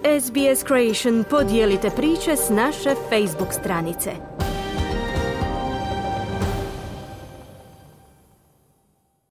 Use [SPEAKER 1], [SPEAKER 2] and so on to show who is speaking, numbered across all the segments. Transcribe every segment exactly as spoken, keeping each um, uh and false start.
[SPEAKER 1] S B S Creation podijelite priče s naše Facebook stranice.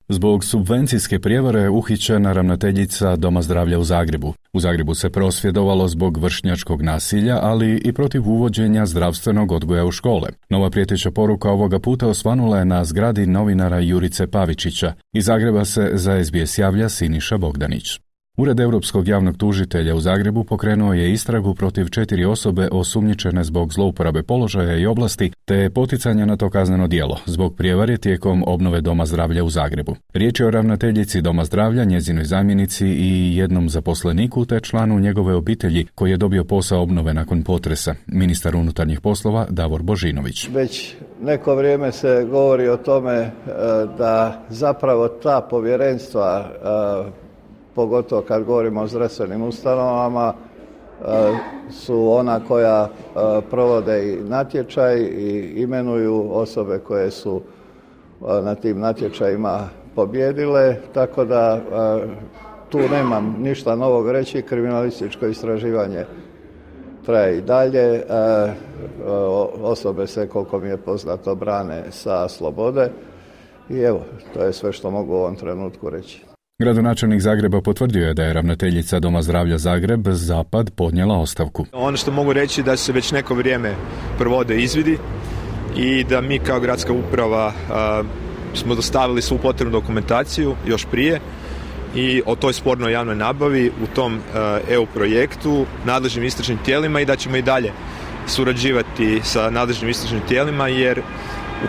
[SPEAKER 2] Zbog subvencijske prijevare uhićena ravnateljica Doma zdravlja u Zagrebu. U Zagrebu se prosvjedovalo zbog vršnjačkog nasilja, ali i protiv uvođenja zdravstvenog odgoja u škole. Nova prijeteća poruka ovoga puta osvanula je na zgradi novinara Jurice Pavičića. Iz Zagreba se za S B S javlja Siniša Bogdanić. Ured Europskog javnog tužitelja u Zagrebu pokrenuo je istragu protiv četiri osobe osumnjičene zbog zlouporabe položaja i oblasti te poticanja na to kazneno djelo zbog prijevare tijekom obnove Doma zdravlja u Zagrebu. Riječ je o ravnateljici Doma zdravlja, njezinoj zamjenici i jednom zaposleniku te članu njegove obitelji koji je dobio posao obnove nakon potresa. Ministar unutarnjih poslova Davor Božinović.
[SPEAKER 3] Već neko vrijeme se govori o tome da zapravo ta povjerenstva, pogotovo kad govorimo o zdravstvenim ustanovama, su ona koja provode i natječaj i imenuju osobe koje su na tim natječajima pobijedile, tako da tu nemam ništa novog reći. Kriminalističko istraživanje traje i dalje. Osobe se, koliko mi je poznato, brane sa slobode i evo, to je sve što mogu u ovom trenutku reći.
[SPEAKER 2] Gradonačelnik Zagreba potvrdio je da je ravnateljica Doma zdravlja Zagreb Zapad podnijela ostavku.
[SPEAKER 4] Ono što mogu reći da se već neko vrijeme provode izvidi i da mi kao gradska uprava a, smo dostavili svu potrebnu dokumentaciju još prije i o toj spornoj javnoj nabavi u tom a, E U projektu nadležnim istražnim tijelima i da ćemo i dalje surađivati sa nadležnim istražnim tijelima jer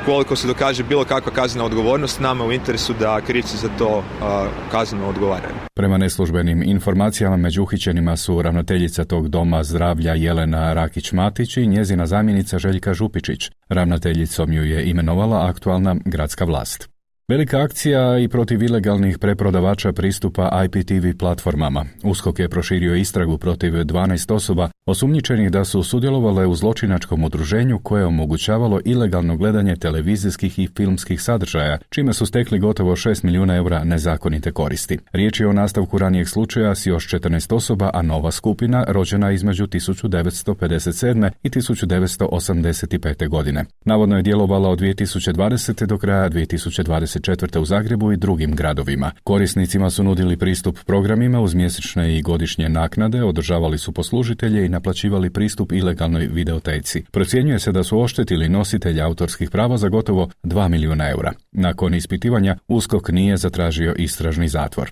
[SPEAKER 4] ukoliko se dokaže bilo kakva kaznena odgovornost, nama u interesu da krivci za to a, kazneno odgovaraju.
[SPEAKER 2] Prema neslužbenim informacijama među uhićenima su ravnateljica tog Doma zdravlja Jelena Rakić-Matić i njezina zamjenica Željka Župičić. Ravnateljicom ju je imenovala aktualna gradska vlast. Velika akcija i protiv ilegalnih preprodavača pristupa I P T V platformama. USKOK je proširio istragu protiv dvanaest osoba osumnjičenih da su sudjelovale u zločinačkom udruženju koje je omogućavalo ilegalno gledanje televizijskih i filmskih sadržaja, čime su stekli gotovo šest milijuna eura nezakonite koristi. Riječ je o nastavku ranijeg slučaja s još četrnaest osoba, a nova skupina rođena između tisuću devetsto pedeset sedme i tisuću devetsto osamdeset pete. godine. Navodno je djelovala od dvije tisuće dvadesete. do kraja dvije tisuće dvadeset četvrte. u Zagrebu i drugim gradovima. Korisnicima su nudili pristup programima uz mjesečne i godišnje naknade, održavali su poslužitelje i naplaćivali pristup ilegalnoj videoteci. Procjenjuje se da su oštetili nositelja autorskih prava za gotovo dva milijuna eura. Nakon ispitivanja USKOK nije zatražio istražni zatvor.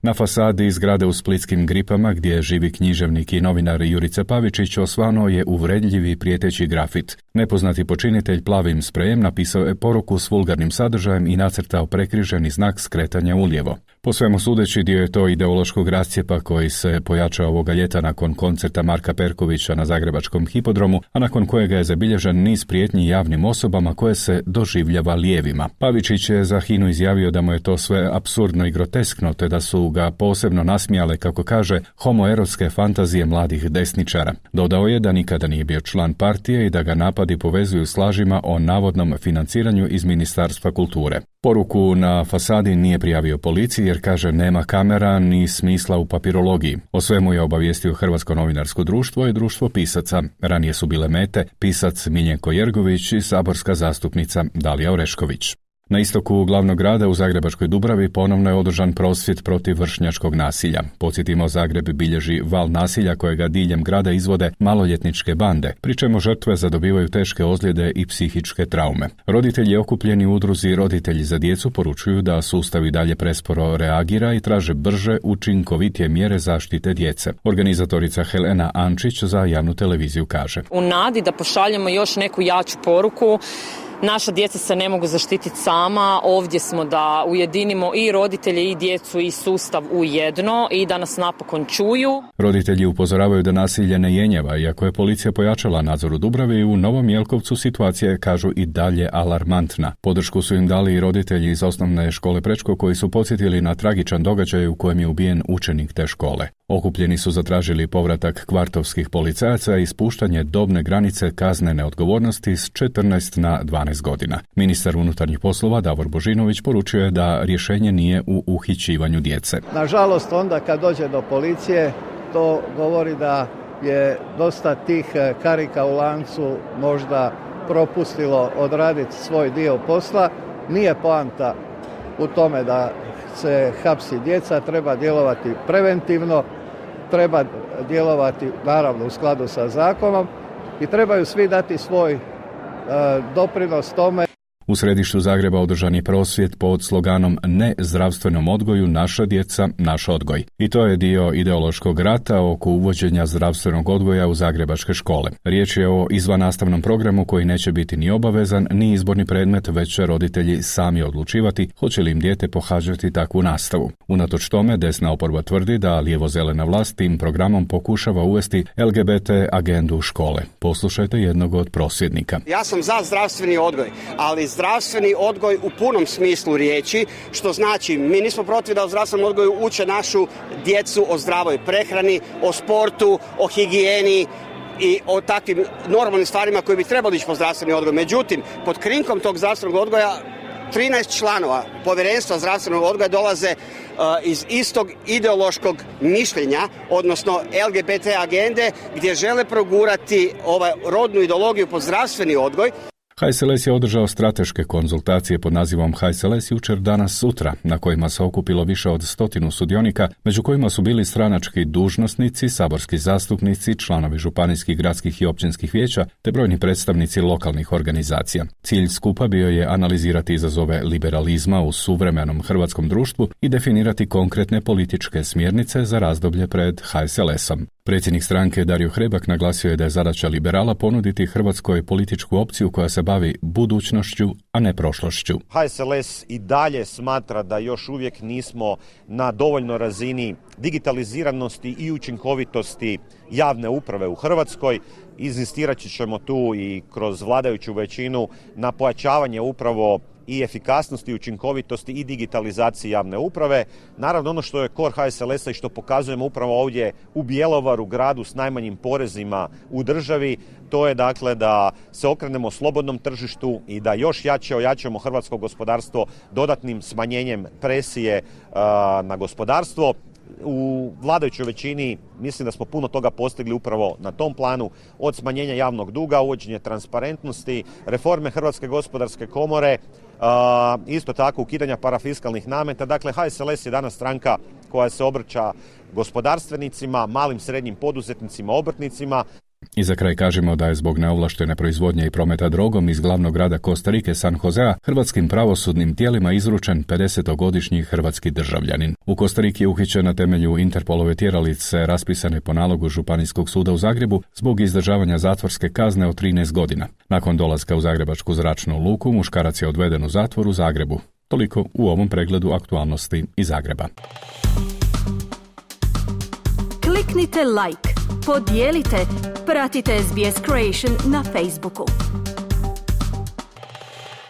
[SPEAKER 2] Na fasadi zgrade u Splitskim Gripama, gdje živi književnik i novinar Jurica Pavičić, osvanuo je uvredljivi prijeteći grafit. Nepoznati počinitelj plavim sprejem napisao je poruku s vulgarnim sadržajem i nacrtao prekriženi znak skretanja ulijevo. Po svemu sudeći, dio je to ideološkog rascjepa koji se pojačao ovoga ljeta nakon koncerta Marka Perkovića na zagrebačkom hipodromu, a nakon kojega je zabilježen niz prijetnji javnim osobama koje se doživljava lijevima. Pavičić je za Hinu izjavio da mu je to sve apsurdno i groteskno, te da su ga posebno nasmijale, kako kaže, homoerotske fantazije mladih desničara. Dodao je da nikada nije bio član partije i da ga napadi povezuju s lažima o navodnom financiranju iz Ministarstva kulture. Poruku na fasadi nije prijavio policiji jer, kaže, nema kamera ni smisla u papirologiji. O svemu je obavijestio Hrvatsko novinarsko društvo i društvo pisaca. Ranije su bile mete pisac Miljenko Jergović i saborska zastupnica Dalija Orešković. Na istoku glavnog grada u Zagrebačkoj Dubravi ponovno je održan prosvjed protiv vršnjačkog nasilja. Podsjetimo, Zagreb bilježi val nasilja kojega diljem grada izvode maloljetničke bande, pri čemu žrtve zadobivaju teške ozljede i psihičke traume. Roditelji okupljeni u udruzi Roditelji za djecu poručuju da sustav i dalje presporo reagira i traže brže, učinkovitije mjere zaštite djece. Organizatorica Helena Ančić za javnu televiziju kaže:
[SPEAKER 5] U nadi da pošaljemo još neku jaču poruku, naša djeca se ne mogu zaštititi sama, ovdje smo da ujedinimo i roditelje i djecu i sustav u jedno i da nas napokon čuju.
[SPEAKER 2] Roditelji upozoravaju da nasilje ne jenjava, iako je policija pojačala nadzor u Dubravi, u Novom Jelkovcu situacija je, kažu, i dalje alarmantna. Podršku su im dali i roditelji iz osnovne škole Prečko koji su podsjetili na tragičan događaj u kojem je ubijen učenik te škole. Okupljeni su zatražili povratak kvartovskih policajaca i spuštanje dobne granice kaznene odgovornosti s četrnaest na dvanaest godina. Ministar unutarnjih poslova Davor Božinović poručio je da rješenje nije u uhićivanju djece.
[SPEAKER 3] Nažalost, onda kad dođe do policije, to govori da je dosta tih karika u lancu možda propustilo odraditi svoj dio posla. Nije poanta u tome da se hapsi djeca, treba djelovati preventivno, treba djelovati naravno u skladu sa zakonom i trebaju svi dati svoj e, doprinos tome.
[SPEAKER 2] U središtu Zagreba održan je prosvjed pod sloganom Ne zdravstvenom odgoju, naša djeca, naš odgoj. I to je dio ideološkog rata oko uvođenja zdravstvenog odgoja u zagrebačke škole. Riječ je o izvannastavnom programu koji neće biti ni obavezan, ni izborni predmet, već će roditelji sami odlučivati hoće li im dijete pohađati takvu nastavu. Unatoč tome, desna oporba tvrdi da lijevo-zelena vlast tim programom pokušava uvesti L G B T agendu u škole. Poslušajte jednog od prosvjednika.
[SPEAKER 6] Ja sam za zdravstveni odgoj, ali zdravstveni odgoj u punom smislu riječi, što znači mi nismo protiv da u zdravstvenom odgoju uče našu djecu o zdravoj prehrani, o sportu, o higijeni i o takvim normalnim stvarima koji bi trebali ići po zdravstveni odgoj. Međutim, pod krinkom tog zdravstvenog odgoja trinaest članova povjerenstva zdravstvenog odgoja dolaze uh, iz istog ideološkog mišljenja, odnosno L G B T agende, gdje žele progurati ovaj rodnu ideologiju pod zdravstveni odgoj.
[SPEAKER 2] H S L S je održao strateške konzultacije pod nazivom H S L S jučer, danas, sutra, na kojima se okupilo više od stotinu sudionika, među kojima su bili stranački dužnosnici, saborski zastupnici, članovi županijskih, gradskih i općinskih vijeća, te brojni predstavnici lokalnih organizacija. Cilj skupa bio je analizirati izazove liberalizma u suvremenom hrvatskom društvu i definirati konkretne političke smjernice za razdoblje pred H S L S-om. Predsjednik stranke Dario Hrebak naglasio je da je zadaća liberala ponuditi Hrvatskoj političku opciju koja se bavi budućnošću, a ne prošlošću.
[SPEAKER 7] H S L S i dalje smatra da još uvijek nismo na dovoljnoj razini digitaliziranosti i učinkovitosti javne uprave u Hrvatskoj. Inzistirat ćemo tu i kroz vladajuću većinu na pojačavanje upravo i efikasnosti, učinkovitosti i digitalizaciji javne uprave. Naravno, ono što je kor H S L S-a i što pokazujemo upravo ovdje u Bjelovaru, gradu s najmanjim porezima u državi, to je dakle da se okrenemo slobodnom tržištu i da još jače ojačamo hrvatsko gospodarstvo dodatnim smanjenjem presije uh, na gospodarstvo. U vladajućoj većini mislim da smo puno toga postigli upravo na tom planu, od smanjenja javnog duga, uvođenje transparentnosti, reforme Hrvatske gospodarske komore, uh, isto tako ukidanja parafiskalnih nameta. Dakle, H S L S je danas stranka koja se obraća gospodarstvenicima, malim srednjim poduzetnicima, obrtnicima.
[SPEAKER 2] I za kraj kažemo da je zbog neovlaštene proizvodnje i prometa drogom iz glavnog grada Kostarike San Josea hrvatskim pravosudnim tijelima izručen pedesetogodišnji hrvatski državljanin. U Kostariki je uhićen na temelju Interpolove tjeralice raspisane po nalogu Županijskog suda u Zagrebu zbog izdržavanja zatvorske kazne od trinaest godina. Nakon dolaska u Zagrebačku zračnu luku, muškarac je odveden u zatvor u Zagrebu. Toliko u ovom pregledu aktualnosti iz Zagreba.
[SPEAKER 1] Kliknite like, podijelite, pratite S B S Creation na Facebooku.